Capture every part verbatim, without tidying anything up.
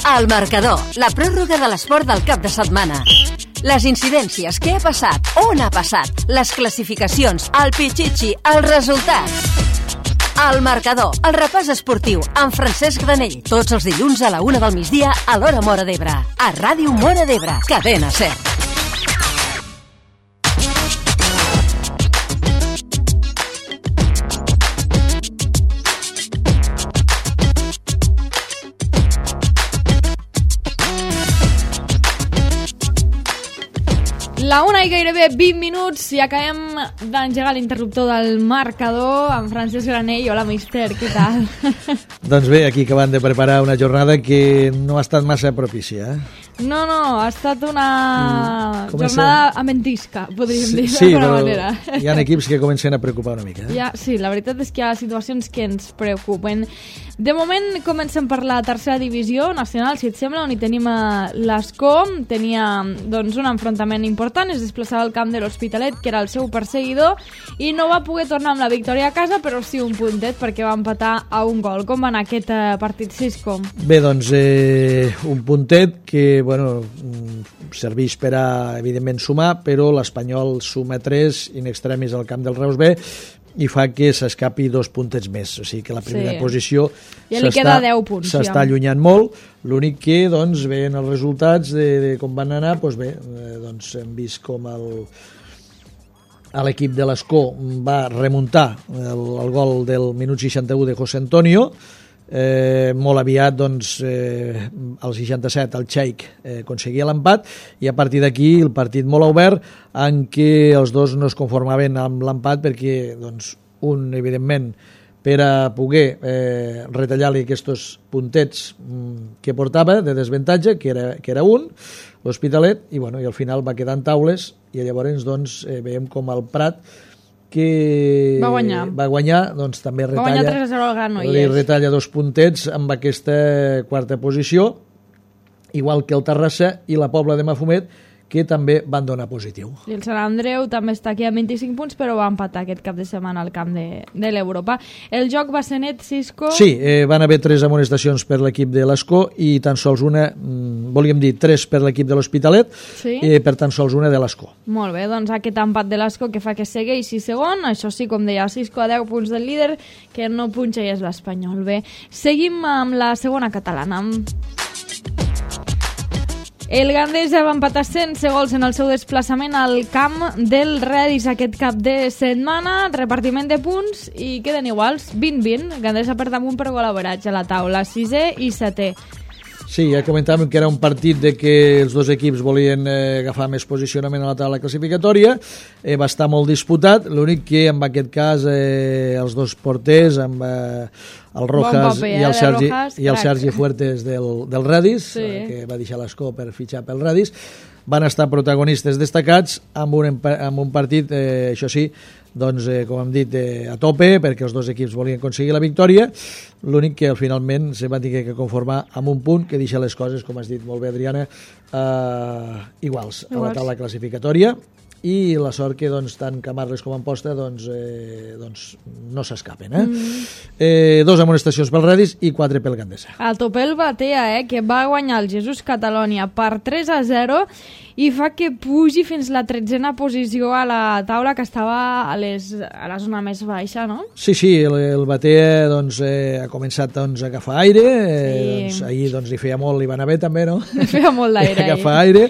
El marcador, la pròrroga de l'esport del cap de setmana. Les incidències, què ha passat, on ha passat, les classificacions, el pitxitxi, els resultats. El marcador, el repàs esportiu, amb Francesc Granell, tots els dilluns a la una del migdia a l'hora Móra d'Ebre. A Ràdio Móra d'Ebre, Cadena Ser. La una i gairebé vint minuts i acabem d'engegar l'interruptor del marcador amb Francesc Granell. Hola, mister, què tal? Doncs bé, aquí acabant de preparar una jornada que no ha estat massa propícia, eh? No, no, ha estat una mm, jornada amentisca, podríem sí, dir sí, d'alguna manera. Hi ha equips que comencen a preocupar una mica. Eh? Ja, sí, la veritat és que hi ha situacions que ens preocupen. De moment comencem per la tercera divisió nacional, si et sembla, on hi tenim l'Escó. Tenia doncs, un enfrontament important, es desplaçava al camp de l'Hospitalet, que era el seu perseguidor, i no va poder tornar amb la victòria a casa, però sí un puntet, perquè va empatar a un gol. Com va anar aquest eh, partit, Cisco? Bé, doncs, eh, un puntet que bueno, serveix per a, evidentment, sumar, però l'Espanyol suma tres in extremis al camp del Reus B i fa que s'escapi dos puntets més. O sigui que la primera sí. posició ja li queda deu punts, s'està ja. allunyant molt. L'únic que, doncs, veient els resultats de, de com van anar, doncs bé, eh, doncs hem vist com el l'equip de l'Escó va remuntar el, el gol del minut seixanta-u de José Antonio. Eh, molt aviat doncs, eh, al seixanta-set el Cheikh eh, aconseguia l'empat i a partir d'aquí el partit molt obert en què els dos no es conformaven amb l'empat perquè doncs, un evidentment per a poder eh, retallar-li aquests puntets mm, que portava de desventatge, que era, que era un, l'Hospitalet, i, bueno, i al final va quedar en taules i llavors doncs, eh, veiem com el Prat que va guanyar, va guanyar doncs també retalla, va guanyar tres a zero al Granollers. retalla dos puntets amb aquesta quarta posició, igual que el Terrassa i la Pobla de Mafumet, que també van donar positiu. I el Sant Andreu també està aquí a vint-i-cinc punts, però va empatar aquest cap de setmana al camp de, de l'Europa. El joc va ser net, Cisco? Sí, eh, van haver tres amonestacions per l'equip de l'Escó i tan sols una, mm, volíem dir tres per l'equip de l'Hospitalet, sí? eh, per tan sols una de l'Escó. Molt bé, doncs aquest empat de l'Escó que fa que segueixi segon, això sí, com deia Cisco, a deu punts del líder, que no punxa i és l'Espanyol. Bé, seguim amb la segona catalana. El Gandesa va empatar sense gols en el seu desplaçament al camp del Redis aquest cap de setmana, repartiment de punts i queden iguals, vint vint. Gandesa per damunt per gol-average a la taula, sisè i setè. Sí, ja comentàvem que era un partit de que els dos equips volien eh, agafar més posicionament a la taula classificatòria, eh, va estar molt disputat, l'únic que en aquest cas eh, els dos porters, amb eh, el Rojas bon paper, eh, i, el Sergi, Rojas, i el Sergi Fuertes del, del Redis, sí. eh, que va deixar l'Escó per fitxar pel Redis, van estar protagonistes destacats amb un, amb un partit, eh, això sí, doncs, eh, com hem dit, eh, a tope, perquè els dos equips volien aconseguir la victòria. L'únic que finalment se van tenir que conformar amb un punt que deixa les coses, com has dit molt bé, Adriana, eh, iguals, iguals a la taula classificatòria, i la sort que doncs, tant Camarles com Amposta doncs, eh, doncs, no s'escapen. Eh? Mm. Eh, dos amonestacions pel Redis i quatre pel Gandesa. El Topel Batea, eh, que va guanyar el Jesús Catalònia per tres a zero i fa que pugi fins la tretzena posició a la taula, que estava a, les, a la zona més baixa, no? Sí, sí, el, el Batea doncs, eh, ha començat doncs, a agafar aire, eh, sí. doncs, ahir doncs, li feia molt, li va anar bé també, no? Li feia molt d'aire. Agafar aire,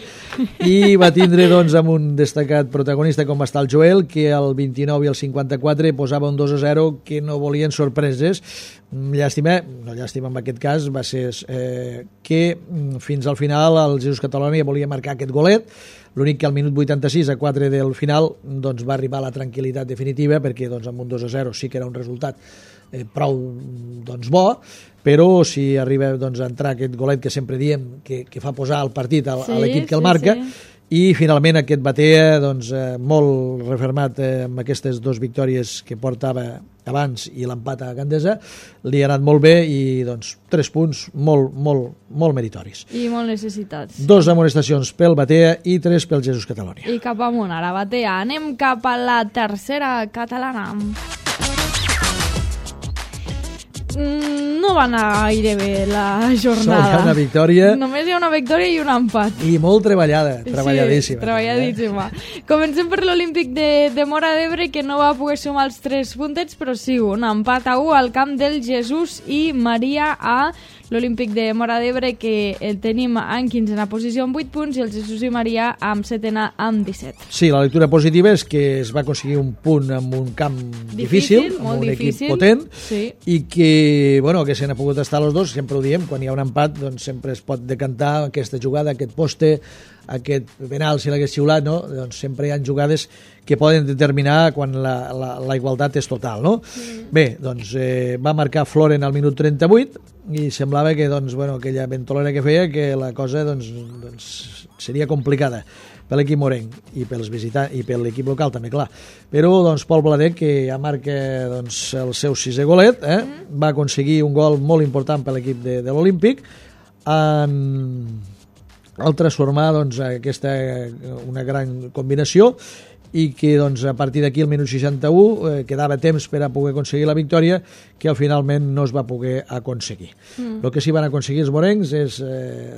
i va tindre doncs, amb un destacat protagonista com va estar el Joel, que al vint-i-nou i al cinquanta-quatre posava un dos a zero que no volien sorpreses. Llàstima, no llàstima en aquest cas, va ser eh, que fins al final el Jesús Catalònia volia marcar aquest golet, l'únic que al minut vuitanta-sis a quatre del final doncs, va arribar la tranquil·litat definitiva, perquè doncs, amb un dos a zero sí que era un resultat eh, prou doncs, bo, però si arriba doncs, a entrar aquest golet que sempre diem que, que fa posar el partit a, sí, a l'equip que el marca, sí. I finalment aquest Batea doncs, eh, molt refermat eh, amb aquestes dues victòries que portava abans i l'empat a Gandesa, li ha anat molt bé i doncs, tres punts molt, molt, molt meritoris. I molt necessitats. Dos amonestacions pel Batea i tres pel Jesús Catalònia. I cap amunt, ara Batea. Anem cap a la tercera catalana. Mm, no va anar gaire bé la jornada. Sol hi ha una victòria. Només hi ha una victòria i un empat. I molt treballada, treballadíssima. Sí, treballadíssima. Eh? Comencem per l'Olímpic de, de Móra d'Ebre, que no va poder sumar els tres puntets, però sí, un empat a u al camp del Jesús i Maria a l'Olímpic de Móra d'Ebre, que el tenim en quinzena posició amb vuit punts i el Jesús i Maria amb setena amb disset. Sí, la lectura positiva és que es va aconseguir un punt amb un camp difícil, difícil amb un difícil, equip potent, sí. I que, bueno, que se n'ha pogut estar els dos, sempre ho diem, quan hi ha un empat doncs sempre es pot decantar aquesta jugada, aquest poste, aquest penal, si l'hagués xiulat, no? Doncs sempre hi ha jugades que poden determinar quan la, la, la igualtat és total, no? Mm. Bé, doncs eh, va marcar Floren al minut trenta-vuit i semblava que, doncs, bueno, aquella ventolera que feia que la cosa doncs, doncs, seria complicada per l'equip morenc i pels visitants i per l'equip local també, clar. Però doncs, Pol Bladet, que ja marca doncs, el seu sisè golet, eh, mm. va aconseguir un gol molt important per l'equip de, de l'Olímpic en al transformar doncs, aquesta una gran combinació i que doncs, a partir d'aquí al minut seixanta-u eh, quedava temps per a poder aconseguir la victòria, que finalment no es va poder aconseguir. Mm. El que sí van aconseguir els morencs és eh,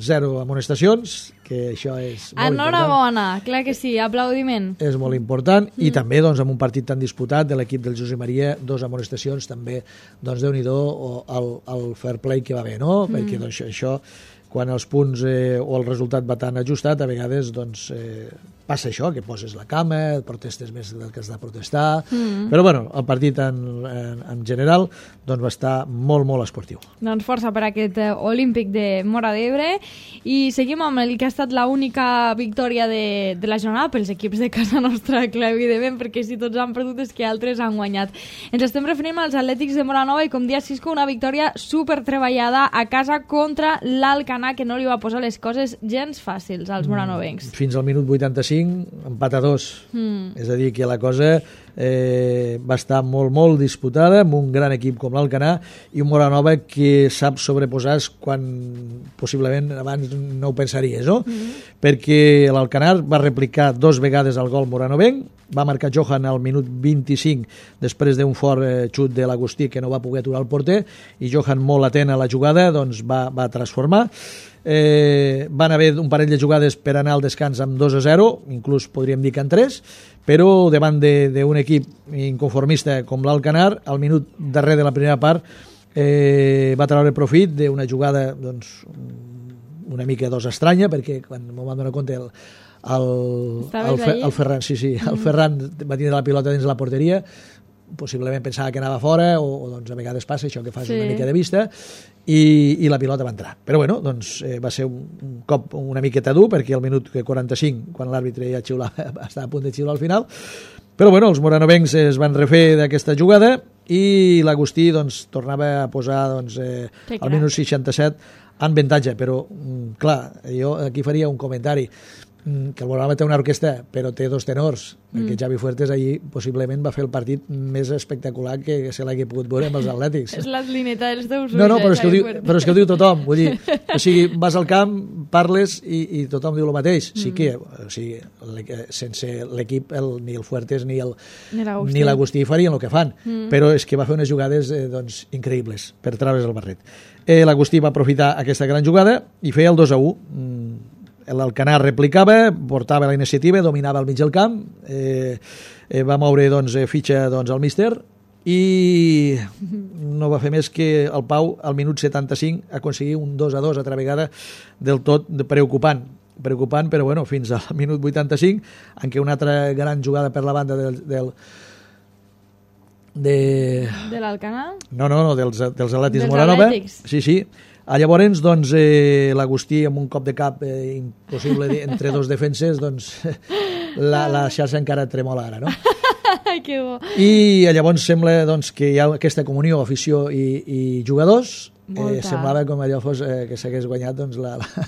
zero amonestacions, que això és molt Enhorabona, clar que sí, aplaudiment. És molt important, mm. i també doncs, amb un partit tan disputat de l'equip del Josep Maria, dos amonestacions també, doncs Déu-n'hi-do el, el fair play que va haver, no? Mm. Perquè doncs, això quan els punts eh, o el resultat va tan ajustat, a vegades doncs, eh, passa això, que poses la cama, protestes més del que has de protestar, mm. però bueno, el partit en, en, en general doncs, va estar molt, molt esportiu. Doncs força per aquest eh, Olímpic de Móra d'Ebre, i seguim amb el que ha estat l'única victòria de, de la jornada pels equips de casa nostra, clar, evidentment, perquè si tots han perdut és que altres han guanyat. Ens estem referint als Atlètics de Móra-Nova i, com dia Cisco, una victòria super treballada a casa contra l'Alcanar, que no li va posar les coses gens fàcils als moranovencs. Fins al minut vuitanta-cinc, empat a dos. Mm. És a dir, que la cosa eh, va estar molt, molt disputada amb un gran equip com l'Alcanar i un Móra-Nova que sap sobreposar quan possiblement abans no ho pensaries, no? Mm. Perquè l'Alcanar va replicar dos vegades el gol moranovenc, va marcar Johan al minut vint-i-cinc després d'un fort eh, xut de l'Agustí que no va poder aturar el porter, i Johan, molt atent a la jugada, doncs va, va transformar. Eh, van haver un parell de jugades per anar al descans amb dos a zero, inclús podríem dir que en tres, però davant d'un equip inconformista com l'Alcanar, al minut darrer de la primera part eh, va treure profit d'una jugada doncs, una mica dos estranya, perquè quan m'ho van donar compte el, el, el, el, el Ferran, sí, sí, el Ferran va tindre la pilota dins la porteria, possiblement pensava que anava fora, o, o doncs a vegades passa això, que fas sí. una mica de vista, i, i la pilota va entrar. Però bueno, doncs eh, va ser un, un cop una miqueta dur, perquè al minut quaranta-cinc, quan l'àrbitre ja xiulava, estava a punt de xiular al final, però bueno, els moranovencs es van refer d'aquesta jugada i l'Agustí doncs, tornava a posar doncs, eh, al minut seixanta-set en avantatge, però clar, jo aquí faria un comentari, que el Móra-Nova té una orquestra, però té dos tenors, mm. perquè Javi Fuertes allí possiblement va fer el partit més espectacular que se l'hagi pogut veure amb els Atlètics. És l'atlineta dels teus ulls. No, no, però és, que ho diu, però és que ho diu tothom. Vull dir, o sigui, vas al camp, parles i, i tothom diu el mateix. Mm. Sí que, o sigui, sense l'equip, el, ni el Fuertes ni el ni l'Agustí farien el que fan, mm. però és que va fer unes jugades eh, doncs, increïbles per treure's el barret. Eh, L'Agustí va aprofitar aquesta gran jugada i feia el dos a u. Mm. L'Alcanar replicava, portava la iniciativa, dominava el mig del camp, eh, eh, va moure doncs, fitxa doncs, al míster i no va fer més que el Pau al minut setanta-cinc aconseguir un dos a dos altra vegada del tot preocupant. Preocupant, però bueno, fins al minut vuitanta-cinc, en què una altra gran jugada per la banda del... del de... de l'Alcanar? No, no, no, dels, dels Atlètics de Móra-Nova. Sí, sí. A llavors, doncs, eh, l'Agustí amb un cop de cap eh, impossible entre dos defenses, doncs la, la xarxa encara tremola ara, no? Que bo. I llavors sembla doncs, que hi ha aquesta comunió, afició i, i jugadors. Eh, semblava com allò fos eh, que s'hagués guanyat doncs, la, la...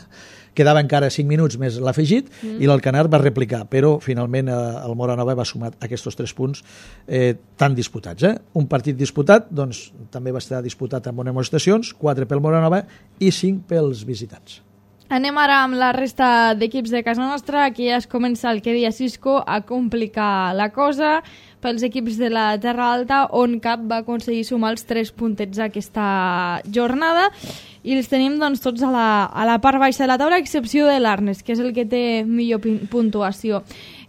Quedava encara cinc minuts més l'afegit mm. i l'Alcanar va replicar, però finalment eh, el Móra-Nova va sumar aquests tres punts eh, tan disputats. Eh? Un partit disputat, doncs també va estar disputat amb unes amonestacions, quatre pel Móra-Nova i cinc pels visitants. Anem ara amb la resta d'equips de casa nostra. Aquí ja es comença el que deia Cisco a complicar la cosa pels equips de la Terra Alta, on cap va aconseguir sumar els tres puntets aquesta jornada i els tenim doncs, tots a la, a la part baixa de la taula, a excepció de l'Arnes, que és el que té millor puntuació.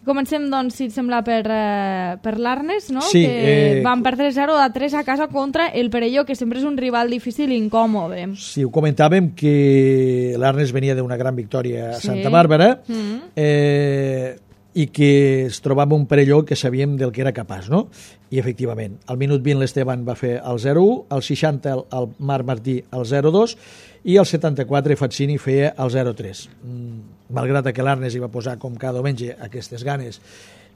Comencem, doncs, si et sembla, per, eh, per l'Arnes, no? Sí, que eh... van perdre zero a tres a casa contra el Perelló, que sempre és un rival difícil i incòmode. Sí, ho comentàvem que l'Arnes venia d'una gran victòria a Sí. Santa Bàrbara, Mm. eh, i que es trobava un Perelló que sabíem del que era capaç, no? I efectivament, al minut vint l'Esteban va fer el zero u, al seixanta el, el Marc Martí el zero dos i al setanta-quatre Fazzini feia el zero tres. Mm, malgrat que l'Arnes hi va posar com cada diumenge aquestes ganes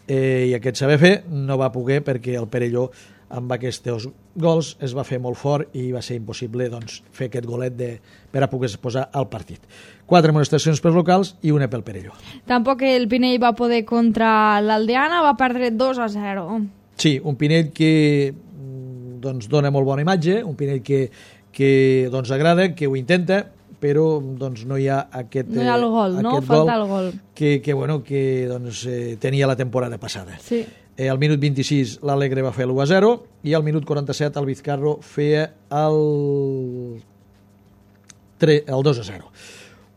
eh, i aquest saber fer, no va poder perquè el Perelló amb aquests gols es va fer molt fort i va ser impossible doncs, fer aquest golet de, per a poder posar al partit. Quatre amonestacions pels locals i una pel Perelló. Tampoc el Pinell va poder contra l'Aldeana, va perdre dos a zero. Sí, un Pinell que doncs, dona molt bona imatge, un Pinell que, que doncs, agrada, que ho intenta, però doncs, no hi ha aquest, no hi ha el gol, eh, no? Falta el gol. Que, que, bueno, que doncs, eh, tenia la temporada passada. Sí. Eh, al minut vint-i-sis l'Alegre va fer l'u a zero i al minut quaranta-set el Vizcarro feia el, el dos a zero.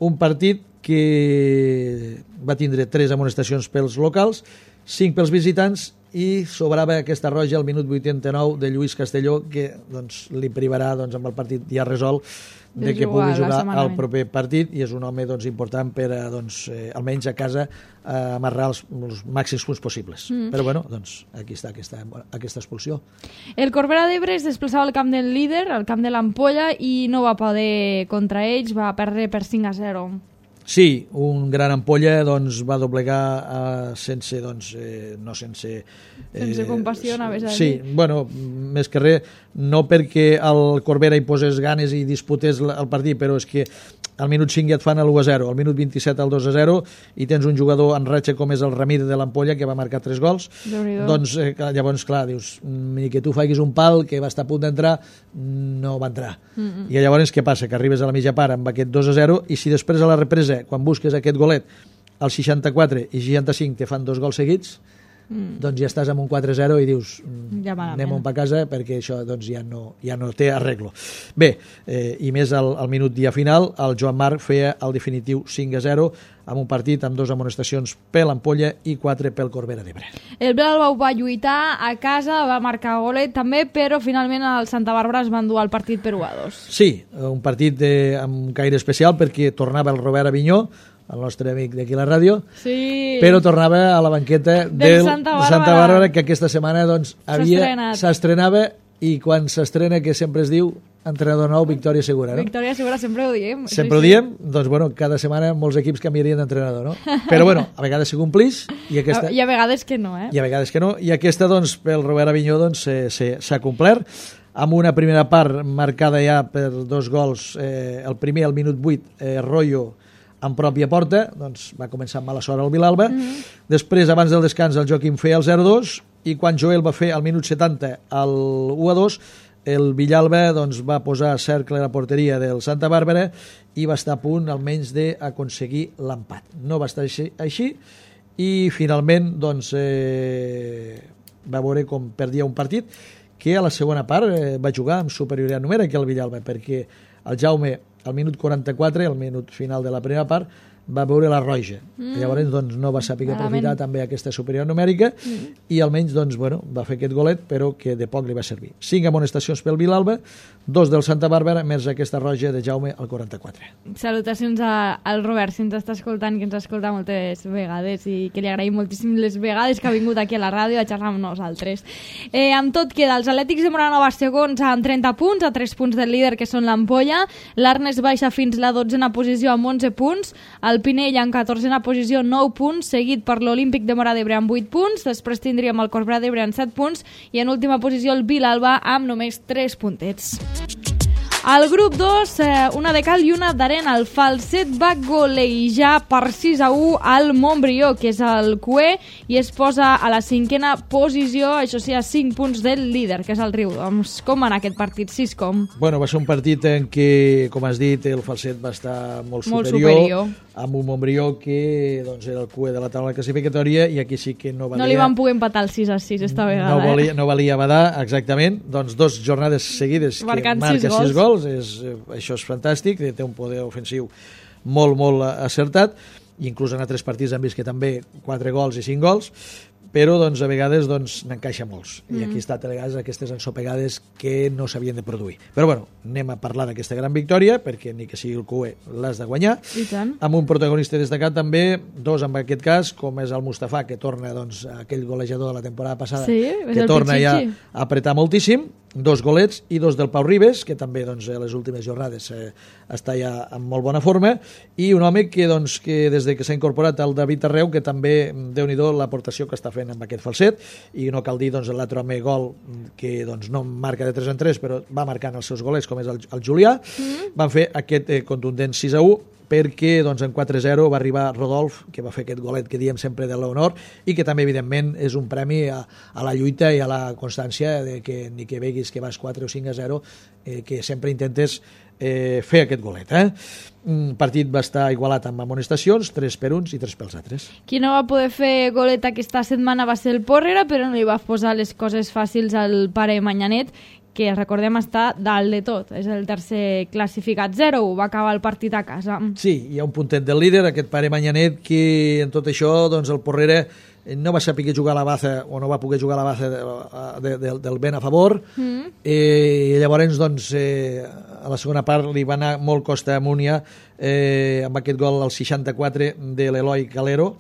Un partit que va tindre tres amonestacions pels locals, cinc pels visitants i sobrava aquesta roja al minut vuitanta-nou de Lluís Castelló, que doncs, li privarà doncs, amb el partit ja resolt de, de que pugui jugar al proper partit, i és un home doncs, important per a, doncs, eh, almenys a casa eh, amarrar els, els màxims punts possibles. Mm. Però bueno, doncs, aquí està aquesta, aquesta expulsió. El Corbera d'Ebre es desplaçava al camp del líder, al camp de l'Ampolla, i no va poder contra ells, va perdre per cinc a zero. Sí, un gran Ampolla doncs, va doblegar eh, sense, doncs, eh, no sense... Eh, sense compassió, anaves a dir. Sí, bueno, més que res, no perquè el Corbera hi posés ganes i disputés el partit, però és que al minut cinc ja et fan l'u a zero, al minut vint-i-set el dos a zero, i tens un jugador en ratxa com és el Ramírez de l'Ampolla, que va marcar tres gols. Doncs eh, llavors, clar, dius, ni que tu facis un pal que va estar a punt d'entrar, no va entrar. Mm -mm. I llavors què passa? Que arribes a la mitja part amb aquest dos a zero, i si després a la represa, quan busques aquest golet, al seixanta-quatre i seixanta-cinc te fan dos gols seguits, Mm. doncs ja estàs amb un quatre a zero i dius ja anem on pa casa, perquè això doncs, ja, no, ja no té arreglo. Bé, eh, i més al, al minut dia final el Joan Marc feia el definitiu cinc a zero amb un partit amb dues amonestacions per l'Ampolla i quatre pel Corbera d'Ebre. El Vilalba va lluitar a casa, va marcar golet també, però finalment el Santa Bàrbara es va endur el partit per u a dos. Sí, un partit de, amb un caire especial perquè tornava el Robert Avinyó, el nostre amic d'aquí a la ràdio, sí. però tornava a la banqueta del, del Santa, Bàrbara. Santa Bàrbara, que aquesta setmana doncs, havia s'estrenava, i quan s'estrena, que sempre es diu entrenador nou, victòria segura, no? Victòria segura, sempre ho diem. Sempre sí, ho diem, sí. Doncs bueno, cada setmana molts equips canviarien d'entrenador, no? Però bueno, a vegades se complix i aquesta... I a vegades que no, eh? I a vegades que no, i aquesta, doncs, pel Robert Avinyó, doncs, s'ha complert, amb una primera part marcada ja per dos gols, eh, el primer al minut vuit, eh, Royo, en pròpia porta, doncs va començar amb mala sort el Vilalba. Mm-hmm. Després, abans del descans, el Joaquim feia el zero dos, i quan Joel va fer al minut setanta el u a dos, el Villalba doncs, va posar cercle a la porteria del Santa Bàrbara i va estar a punt almenys d'aconseguir l'empat. No va estar així, així i finalment doncs, eh, va veure com perdia un partit que a la segona part eh, va jugar amb superioritat numèrica el Villalba, perquè el Jaume al minut quaranta-quatre, al minut final de la primera part, va veure la roja. Mm. Llavors doncs, no va saber aprofitar també aquesta superior numèrica mm. i almenys doncs, bueno, va fer aquest golet, però que de poc li va servir. Cinc amonestacions pel Vilalba, dos del Santa Bàrbara, més aquesta roja de Jaume al quaranta-quatre. Salutacions a, al Robert, si ens està escoltant, que ens escolta moltes vegades i que li agraïm moltíssim les vegades que ha vingut aquí a la ràdio a xerrar amb nosaltres. Eh, amb tot queda, els Atlètics de Moranova segons amb trenta punts, a tres punts del líder que són l'Ampolla, l'Arnes baixa fins la dotzena posició amb onze punts, el Pinell en catorzena posició, nou punts, seguit per l'Olímpic de Móra d'Ebre amb vuit punts, després tindríem el Corbera d'Ebre amb set punts i en última posició el Vilalba amb només tres puntets. Al grup dos, eh, una de cal i una d'arena. El Falset va golejar per sis a u al Montbrió, que és el Q E, i es posa a la cinquena posició, això sí, a cinc punts del líder, que és el Riudoms. Com va anar aquest partit, Siscom? Bueno, va ser un partit en què, com has dit, el Falset va estar molt, Molt superior, superior. amb un Montbrió que doncs, era el Q E de la taula classificatòria, i aquí sí que no valia... No li van poder empatar el sis a sis esta vegada. No valia, eh? no valia badar, exactament. Doncs dos jornades seguides Marcant que marca sis gols. sis gols. És, això és fantàstic, té un poder ofensiu molt, molt acertat. Inclús en altres partits hem vist que també quatre gols i cinc gols, però doncs, a vegades doncs, n'encaixa molts. Mm. I aquí està a vegades aquestes ensopegades que no s'havien de produir. Però bueno, anem a parlar d'aquesta gran victòria, perquè ni que sigui el Q E l'has de guanyar. I tant. Amb un protagonista destacat també, dos en aquest cas, com és el Mustafa, que torna doncs, aquell golejador de la temporada passada, Sí, que torna ja Pichichi. a apretar moltíssim, dos golets, i dos del Pau Ribes, que també doncs, a les últimes jornades eh, està ja en molt bona forma, i un home que, doncs, que des de que s'ha incorporat el David Arreu, que també, Déu-n'hi-do, l'aportació que està fent amb aquest Falset, i no cal dir doncs, l'altre home gol que doncs, no marca de tres en tres, però va marcant els seus golets, com és el, el Julià. Mm. Van fer aquest eh, contundent sis a u, perquè doncs, en quatre a zero va arribar Rodolf, que va fer aquest golet que diem sempre de l'honor, i que també, evidentment, és un premi a, a la lluita i a la constància de que ni que veguis que vas quatre o cinc a zero, eh, que sempre intentes eh, fer aquest golet. Eh? Un partit va estar igualat amb amonestacions, tres per uns i tres pels altres. Qui no va poder fer golet aquesta setmana va ser el Porrera, però no li va posar les coses fàcils al pare Manyanet, que recordem està dalt de tot. És el tercer classificat, zero u, va acabar el partit a casa. Sí, hi ha un puntet del líder, aquest pare Manyanet, que en tot això doncs, el Porrera no va saber jugar a la baza, o no va poder jugar a la baza de, de, de, del vent a favor, mm. eh, i llavors doncs, eh, a la segona part li va anar molt costa amunt ja, eh, amb aquest gol al seixanta-quatre de l'Eloi Calero.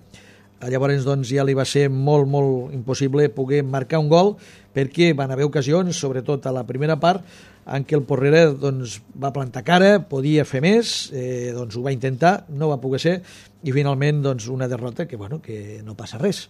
Llavors doncs, ja li va ser molt, molt impossible poder marcar un gol, perquè van haver ocasions, sobretot a la primera part, en què el Porrera doncs, va plantar cara, podia fer més, eh, doncs ho va intentar, no va poder ser, i finalment doncs, una derrota que, bueno, que no passa res.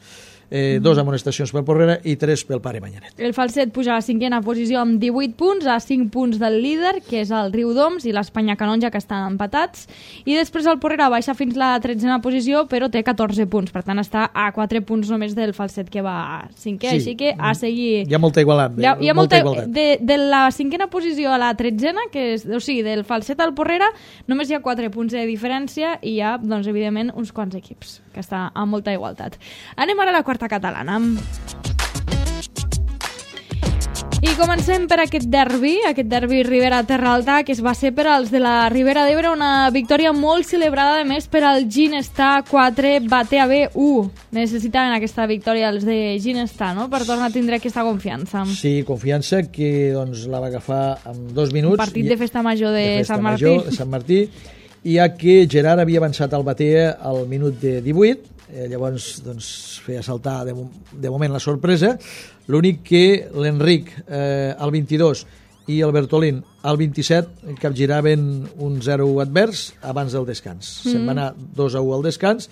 Eh, mm. Dos amonestacions pel Porrera i tres pel pare Manyanet. El Falset puja a la cinquena posició amb divuit punts, a cinc punts del líder, que és el Riudoms, i l'Espanya Canonja, que estan empatats, i després el Porrera baixa fins la tretzena posició, però té catorze punts, per tant està a quatre punts només del Falset, que va a cinquè, sí. Així que a seguir... Hi ha molta igualtat. Hi ha, hi ha molta, molta igualtat. De, de la cinquena posició a la tretzena, que és, o sigui, del Falset al Porrera, només hi ha quatre punts de diferència, i hi ha, doncs, evidentment, uns quants equips, que està a molta igualtat. Anem ara a la quarta catalana. I comencem per aquest derbi, aquest derbi Ribera-Terra Alta, que es va ser per als de la Ribera d'Ebre, una victòria molt celebrada, a més, per al Ginestar quatre, Batea B u. Necessitaven aquesta victòria els de Ginestar, no?, per tornar a tindre aquesta confiança. Sí, confiança que doncs, la va agafar en dos minuts. Un partit de festa major de, de festa Sant Martí. Major, de Sant Martí, ja que Gerard havia avançat al Batea al minut de divuit, eh, llavors doncs, feia saltar de, de moment la sorpresa. L'únic que l'Enric eh, al vint-i-dos i el Bertolín al vint-i-set capgiraven un zero a u advers abans del descans. Mm. Se'n va anar dos a u al descans.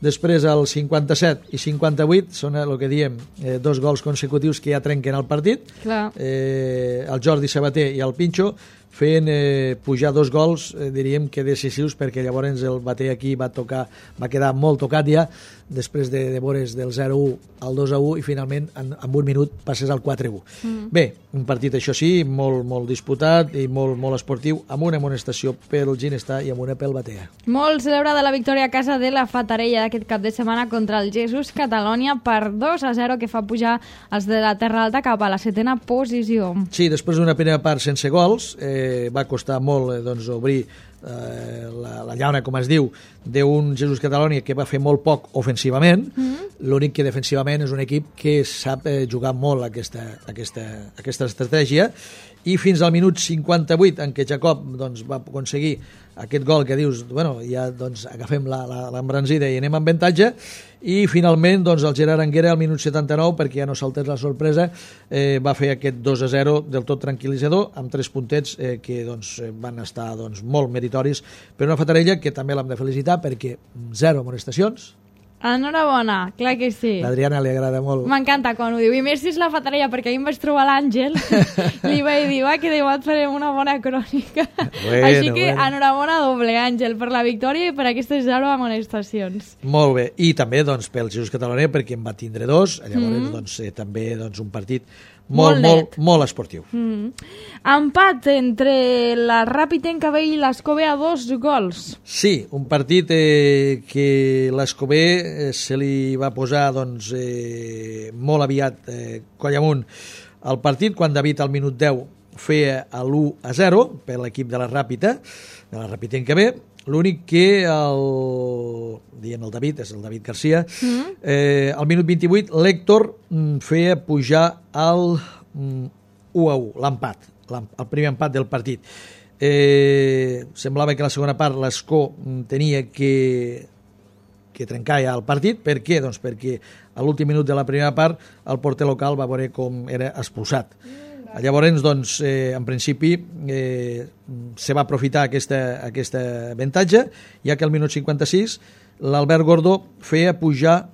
Després el cinquanta-set i cinquanta-vuit són el que diem eh, dos gols consecutius que ja trenquen el partit. Clar. Eh, el Jordi Sabater i el Pinxo fent eh, pujar dos gols, eh, diríem que decisius, perquè llavors el Bater aquí va tocar, va quedar molt tocat ja, després de, de veure's del zero a u al dos a u, i finalment en, en un minut passes al quatre a u. Mm. Bé, un partit, això sí, molt, molt disputat i molt, molt esportiu, amb una amonestació pel Ginestar i amb una pel Batea. Molt celebrada la victòria a casa de la Fatarella d'aquest cap de setmana contra el Jesús Catalònia per dos a zero, que fa pujar els de la Terra Alta cap a la setena posició. Sí, després d'una primera part sense gols, eh, va costar molt eh, doncs, obrir eh, la, la llauna, com es diu, d'un Jesús Catalònia que va fer molt poc ofensivament. Mm-hmm. L'únic que defensivament és un equip que sap eh, jugar molt aquesta, aquesta, aquesta estratègia, i fins al minut cinquanta-vuit, en què Jacob doncs, va aconseguir aquest gol que dius, bueno, ja doncs, agafem l'embranzida i anem amb avantatge, i finalment doncs, el Gerard Anguera al minut setanta-nou, perquè ja no saltés la sorpresa, eh, va fer aquest dos a zero del tot tranquil·litzador, amb tres puntets eh, que doncs, van estar doncs, molt meritoris per una Fatarella que també l'hem de felicitar, perquè zero amonestacions, Enhorabona, clar que sí. L'Adriana li agrada molt. M'encanta quan ho diu. I més si és la fatarella, perquè ahir em vaig trobar l'Àngel, li vaig dir, va, que demà et farem una bona crònica. Bueno, Així que bueno. enhorabona doble, Àngel, per la victòria i per aquestes zero amonestacions. Molt bé. I també doncs, pel Jesús Catalonia, perquè en va tindre dos. Llavors, mm. doncs, eh, també doncs, un partit molt, Molt molt, net. molt esportiu. Mm. Empat entre la Ràpid Encabé i l'Escobé a dos gols. Sí, un partit eh, que l'Escobé eh, se li va posar doncs, eh, molt aviat eh, coll amunt al partit, quan David al minut deu feia l'u a zero per l'equip de la Ràpita, de la Ràpid Encabé. L'únic que el, diem el David, és el David Garcia, mm. eh, al minut vint-i-vuit l'Héctor mm, feia pujar el mm, u a u, l'empat, el primer empat del partit. Eh, semblava que la segona part l'Escó tenia que, que trencar ja el partit. Per què? Doncs perquè a l'últim minut de la primera part el porter local va veure com era expulsat. Llavors, doncs, eh, en principi, eh, se va aprofitar aquesta, aquesta avantatge, ja que al minut cinquanta-sis l'Albert Gordó feia pujar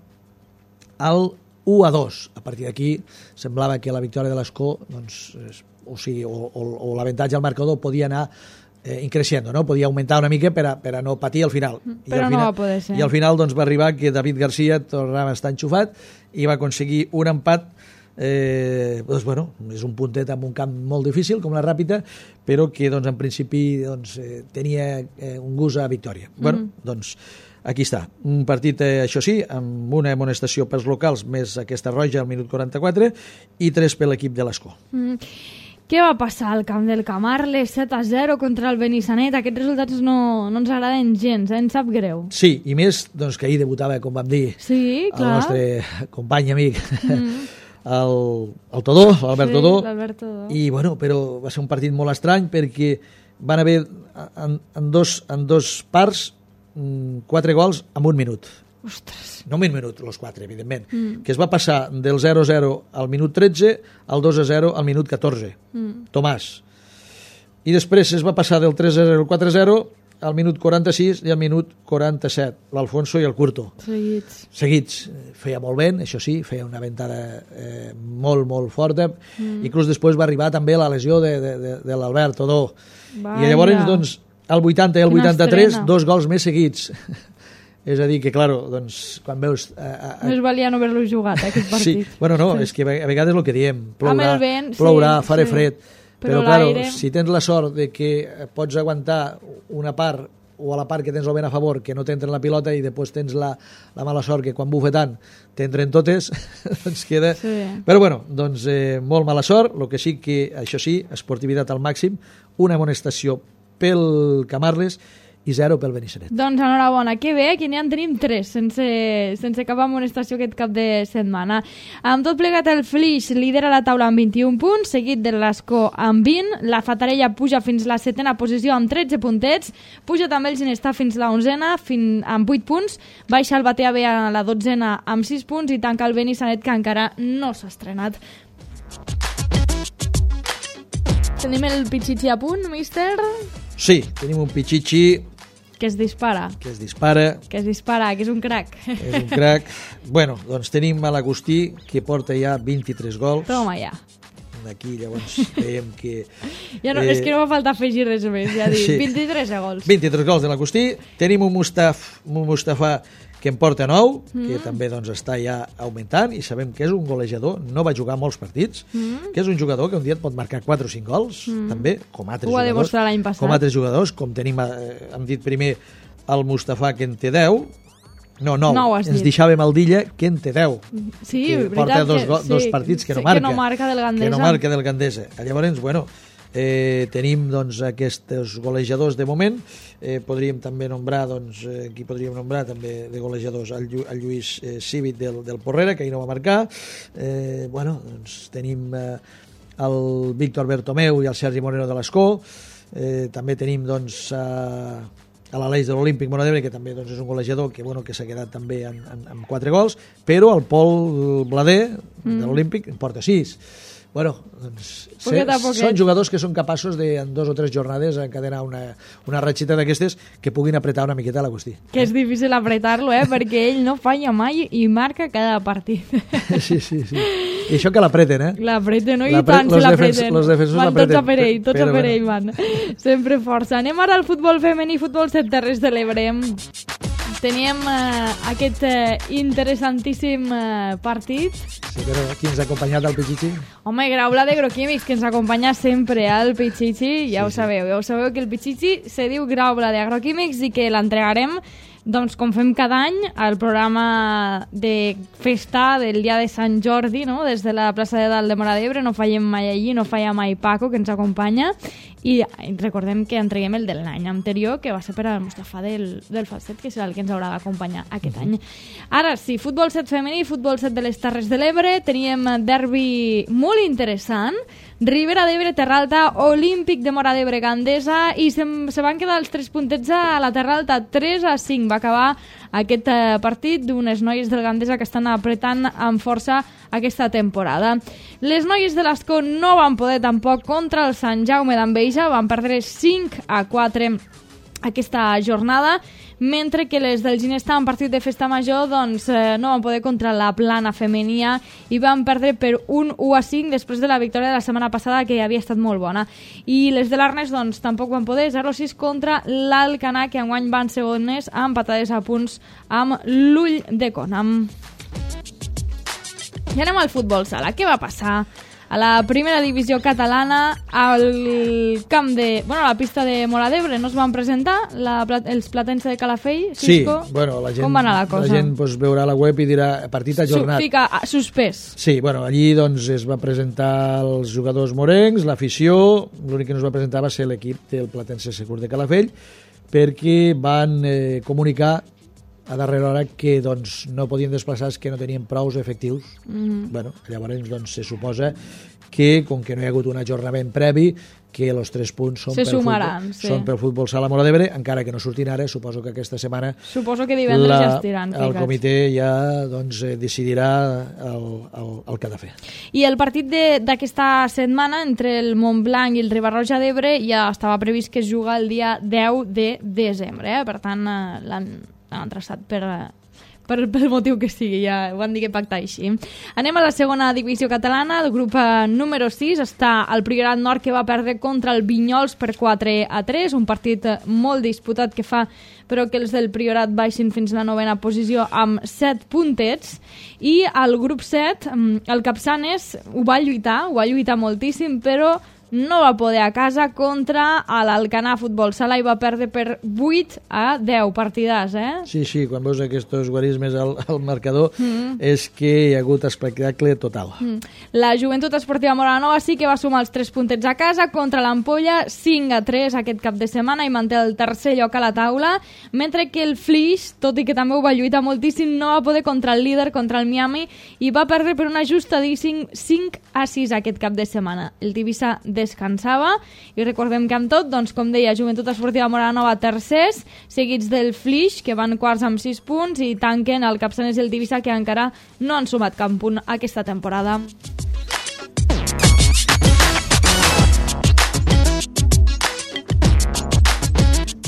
al u a dos. A partir d'aquí semblava que la victòria de l'Escó, doncs, o, sigui, o, o, o l'avantatge al marcador podia anar eh, increixent, no? Podia augmentar una mica per a, per a no patir al final. Però I al no final, va poder ser. I al final doncs, va arribar que David Garcia tornava a estar enxufat i va aconseguir un empat. Eh, doncs, bueno, és un puntet amb un camp molt difícil com la Ràpita, però que doncs, en principi doncs, eh, tenia eh, un gust a victòria. Mm-hmm. Bueno, doncs aquí està, un partit, eh, això sí, amb una amonestació pels locals més aquesta roja al minut quaranta-quatre i tres per l'equip de l'Escó. Mm. Què va passar al camp del Camarles? set a zero contra el Benissanet. Aquests resultats no, no ens agraden gens, eh? Ens sap greu. Sí, i més doncs, que ahir debutava, com vam dir, Sí, el clar. nostre company amic, Mm. el, el Todó, l'Albert Sí, Todó, l'Albert Todó. i bueno, però va ser un partit molt estrany perquè van haver en, en, dos, en dos parts mm, quatre gols en un minut. Ostres. No en un minut, els quatre, evidentment. Mm. Que es va passar del zero a zero al minut tretze al dos a zero al minut catorze. Mm. Tomàs. I després es va passar del tres a zero al quatre a zero al minut quaranta-sis i al minut quaranta-set, l'Alfonso i el Curto. Seguits. Seguits. Feia molt vent, això sí, feia una ventada eh, molt, molt forta. Mm. Inclús després va arribar també la lesió de, de, de, de l'Albert Todó. Vaya. I llavors, doncs, al vuitanta i al Quina vuitanta-tres, estrena. dos gols més seguits. És a dir, que, claro, doncs, quan veus... Eh, eh, Més valia no haver-lo jugat, eh, aquest sí, partit. bueno, no, és que a vegades el que diem, plourà, Amb el vent, sí, plourà farà sí. fred, Però però, claro, l'aire- si tens la sort de que pots aguantar una part o a la part que tens el vent a favor, que no t'entra la pilota, i després tens la, la mala sort que quan bufa tant t'entren totes, doncs queda... Sí. Però bueno, doncs eh, molt mala sort, el que sí que, això sí, esportivitat al màxim, una amonestació pel Camarles i zero pel Benissanet. Doncs enhorabona, que bé, que n'hi en tenim tres, sense, sense cap amonestació aquest cap de setmana. Amb tot plegat, el Flix lidera la taula amb vint-i-un punts, seguit de l'Escó amb vint, la Fatarella puja fins la setena posició amb tretze puntets, puja també el Ginestar fins la onzena fin, amb vuit punts, baixa el Batea B a la dotzena amb sis punts i tanca el Benissanet, que encara no s'ha estrenat. Tenim el Pichichi a punt, míster? Sí, tenim un Pichichi Que es dispara. que es dispara, Que es dispara, que és un crac. és un crac. Bueno, doncs tenim a l'Agustí, que porta ja vint-i-tres gols. Toma ja. Aquí, llavors, veiem que... Ja no, eh, és que no va faltar afegir res més, ja dic, sí. vint-i-tres gols. vint-i-tres gols de l'Agustí. Tenim un, Mustaf, un Mustafà que en porta nou, mm. que també doncs, està ja augmentant, i sabem que és un golejador, no va jugar molts partits, mm. que és un jugador que un dia et pot marcar quatre o cinc gols, mm. també, com altres Ho va jugadors. demostrar l'any passat. Com altres jugadors, com tenim, eh, hem dit primer, el Mustafà, que en té deu, no, nou, Nou has ens dit. deixava Maldilla, que en té deu. Sí, que veritat porta dos, que- go- sí, dos partits que no sí, marca. que no marca del Gandesa. Que no marca del Gandesa. Llavors, bueno, eh, tenim doncs, aquests golejadors de moment. Eh, podríem també nombrar, doncs, eh, qui podríem nombrar també de golejadors? El, Llu el Lluís eh, Cívic del, del Porrera, que ahir no va marcar. Eh, bueno, doncs tenim eh, el Víctor Bertomeu i el Sergi Moreno de l'Escó. Eh, també tenim, doncs, a... a l'Aleix de l'Olímpic Mora d'Ebre, que també doncs, és un golejador que, bueno, que s'ha quedat també en, en, amb quatre gols, però el Pol Blader, mm. de l'Olímpic, en porta sis. Bueno, doncs, Poquet a se, poquet. són jugadors que són capaços de, en dos o tres jornades, encadenar una, una ratxeta d'aquestes que puguin apretar una miqueta la qüestió. Que és difícil apretar-lo, eh? Perquè ell no falla mai i marca cada partit. Sí, sí, sí. I això que l'apreten, eh? L'apreten, no? I L'apre- tant los si defens- l'apreten. los defensors Van tots l'apreten. a per ell, tots Però a per bueno. ell van. Sempre força. Anem ara al futbol femení, futbol set Terres de l'Ebre. Teníem eh, aquest eh, interessantíssim eh, partit. Sí, però qui ens ha acompanyat al Pichichi? Home, Graula de Agroquímics, que ens acompanya sempre al Pichichi, ja ho sabeu, ja ho sabeu que el Pichichi se diu Graula de Agroquímics i que l'entregarem, doncs, com fem cada any, al programa de festa del dia de Sant Jordi, no? Des de la plaça de Dalt de Móra d'Ebre, no fallem mai allí, no falla mai Paco, que ens acompanya, i recordem que entreguem el de l'any anterior, que va ser per al Mustafa del, del Falset, que serà el que ens haurà d'acompanyar aquest any. Ara sí, futbol set femení, futbol set de les Terres de l'Ebre, teníem derbi molt interessant, Ribera d'Ebre, Terra Alta, Olímpic de Móra d'Ebre, Gandesa, i se, se van quedar els tres puntets a la Terra Alta, tres a cinc. Va acabar aquest eh, partit d'unes noies del Gandesa que estan apretant amb força aquesta temporada. Les noies de l'Escó no van poder tampoc contra el Sant Jaume d'Enveja, van perdre cinc a quatre aquesta jornada, mentre que les del Ginesta en partit de festa major doncs, eh, no van poder contra la Plana femenia i van perdre per un u a cinc després de la victòria de la setmana passada, que havia estat molt bona. I les de l'Arnes doncs, tampoc van poder, zero a sis contra l'Alcanar, que enguany van segones empatades a punts amb l'Ull de Conam. I anem al futbol sala. Què va passar a la primera divisió catalana al camp de... Bueno, a la pista de Móra d'Ebre no es van presentar la, els platense de Calafell, Cisco? Sí, bueno, la gent, com va anar la cosa? La gent pues, veurà la web i dirà partit ajornat. Su, fica suspès. Sí, bueno, allí doncs, es va presentar els jugadors morencs, l'afició, l'únic que no es va presentar va ser l'equip del Platense Segur de Calafell, perquè van eh, comunicar a darrera hora que doncs, no podien desplaçar, que no tenien prous efectius. Mm. Bueno, llavors doncs, se suposa que, com que no hi ha hagut un ajornament previ, que els tres punts són, se pel sumaran, futbol, sí. són pel futbol sala Móra d'Ebre, encara que no surtin ara, suposo que aquesta setmana suposo que divendres la, ja estiran el ficats. comitè ja doncs, decidirà el, el, el que ha de fer. I el partit d'aquesta setmana entre el Montblanc i el Riba-roja d'Ebre ja estava previst que es juga el dia deu de desembre, eh? Per tant eh, l'han han traçat per, per, per el motiu que sigui, ja ho han dit que pactar així. Anem a la segona divisió catalana, el grup número sis està el Priorat Nord, que va perdre contra el Vinyols per quatre a tres, un partit molt disputat que fa però que els del Priorat baixin fins a la novena posició amb set puntets, i al grup set el Capçanes ho va lluitar, ho va lluitar moltíssim, però no va poder a casa contra l'Alcanar Futbol Sala i va perdre per vuit a deu partidars, eh? Sí, sí, quan veus aquests guarismes al, al marcador mm. és que hi ha hagut espectacle total. Mm. La Joventut Esportiva Móra Nova sí que va sumar els tres puntets a casa contra l'Ampolla, cinc a tres aquest cap de setmana, i manté el tercer lloc a la taula, mentre que el Flix, tot i que també ho va lluitar moltíssim, no va poder contra el líder, contra el Miami, i va perdre per un ajustadíssim cinc a sis aquest cap de setmana. El Tivissa descansava, i recordem que amb tot, doncs, com deia, Joventut Esportiva Móra Nova tercers, seguits del Flix, que van quarts amb sis punts, i tanquen el Capçanes i el Tivissa, que encara no han sumat cap punt aquesta temporada.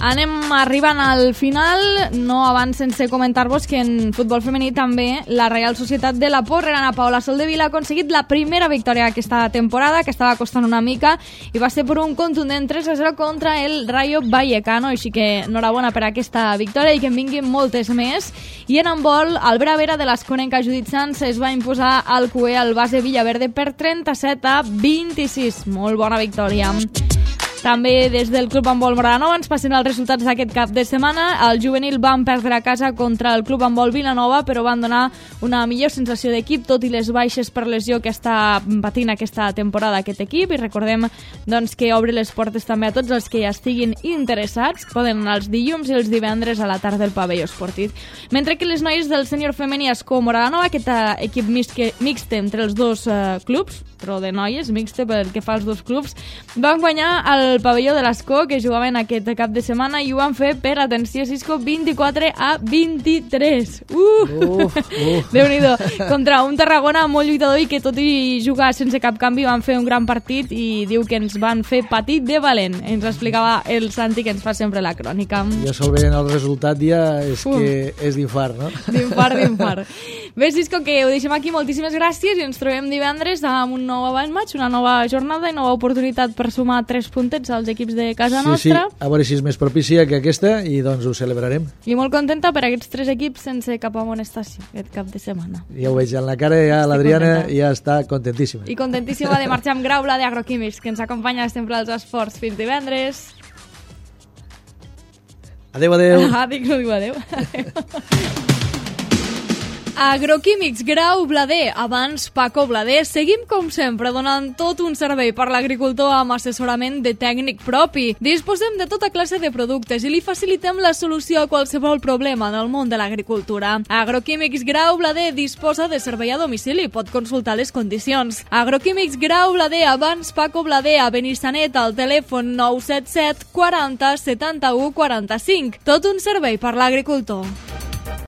Anem arribant al final, no abans sense comentar-vos que en futbol femení també la Reial Societat de la Porrera Paola Soldevila ha aconseguit la primera victòria aquesta temporada, que estava costant una mica, i va ser per un contundent tres a zero contra el Rayo Vallecano, així que enhorabona per aquesta victòria i que en vinguin moltes més. I en handbol, el Vera Vera de l'Esconenca Judit Sanz es va imposar al Cué al base Villaverde per trenta-set a vint-i-sis. Molt bona victòria. També des del Club Handbol Móra Nova ens passen els resultats d'aquest cap de setmana. El juvenil van perdre a casa contra el Club Handbol Vilanova, però van donar una millor sensació d'equip, tot i les baixes per lesió que està patint aquesta temporada aquest equip. I recordem doncs, que obre les portes també a tots els que ja estiguin interessats. Poden anar els dilluns i els divendres a la tarda del pavelló esportiu. Mentre que les noies del sènior femení Escó Móra Nova, aquest equip mixt, mixt entre els dos eh, clubs, però de noies, mixta pel que fa als dos clubs, van guanyar el pavelló de l'Escó, que jugaven aquest cap de setmana, i ho van fer per, atenció, Cisco, vint-i-quatre a vint-i-tres. Uh! Uf, uf. Déu-n'hi-do. Contra un Tarragona molt lluitador i que tot i jugar sense cap canvi van fer un gran partit i diu que ens van fer patit de valent. Ens explicava el Santi, que ens fa sempre la crònica. Ja sol veient el resultat ja és Uh. que és d'infart, no? D'infart, d'infart. Bé, Cisco, que ho deixem aquí. Moltíssimes gràcies i ens trobem divendres amb un nou Avant Match, una nova jornada i nova oportunitat per sumar tres puntets als equips de casa Sí, nostra. sí, a veure si és més propícia que aquesta i doncs ho celebrarem. I molt contenta per aquests tres equips sense cap amonestació aquest cap de setmana. Ja ho veig en la cara, ja Estic l'Adriana contenta. ja està contentíssima. I contentíssima de marxar amb Graula d'Agroquímics, que ens acompanya sempre als esports. Fins divendres. Adéu, adéu. Ah, dic, no diu adéu. Agroquímics Grau Blader, abans Paco Blader. Seguim, com sempre, donant tot un servei per l'agricultor amb assessorament de tècnic propi. Disposem de tota classe de productes i li facilitem la solució a qualsevol problema en el món de l'agricultura. Agroquímics Grau Blader disposa de servei a domicili, pot consultar les condicions. Agroquímics Grau Blader, abans Paco Blader, a Benissanet, al telèfon nou set set quaranta setanta-u quaranta-cinc. Tot un servei per l'agricultor.